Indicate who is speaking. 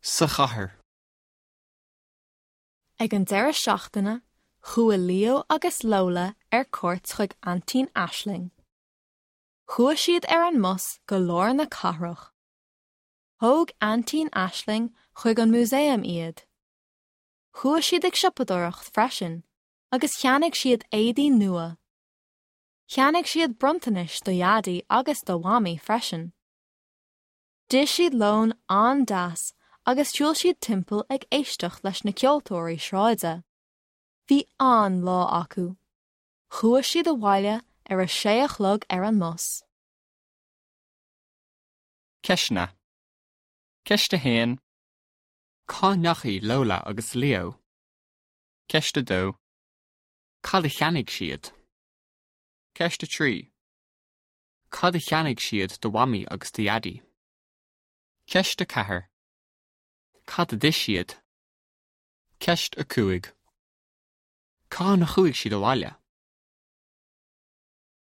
Speaker 1: Sa chathair.
Speaker 2: Ag an deireadh seachtaine, chuaigh Leo agus Lola ar cuairt chuig Aintín Aisling. Chuaigh siad ar an mbus go lár na cathrach. Thóg Aintín Aisling chuig an músaem iad. Chuaigh siad ag siopadóireacht freisin agus cheannaigh siad éadaí nua. Cheannaigh siad bronntanais do Dhaidí agus do Mhamaí freisin. D'ith siad lón an-deas agus shiúil siad timpeall ag éisteacht leis na ceoltóirí sráide. Bhí an-lá acu. Chuaigh siad abhaile ar a sé a chlog ar an mbus.
Speaker 1: Ceisteanna. Ceist 1. Cá ndeachaigh Lola agus Leo? Ceist 2. Cad a cheannaigh siad? Ceist 3. Cad a cheannaigh siad do Mhamaí agus do Dhaidí? Ceist 4. Cad a d'ith siad? Ceist 5. Cathain a chuaigh siad abhaile?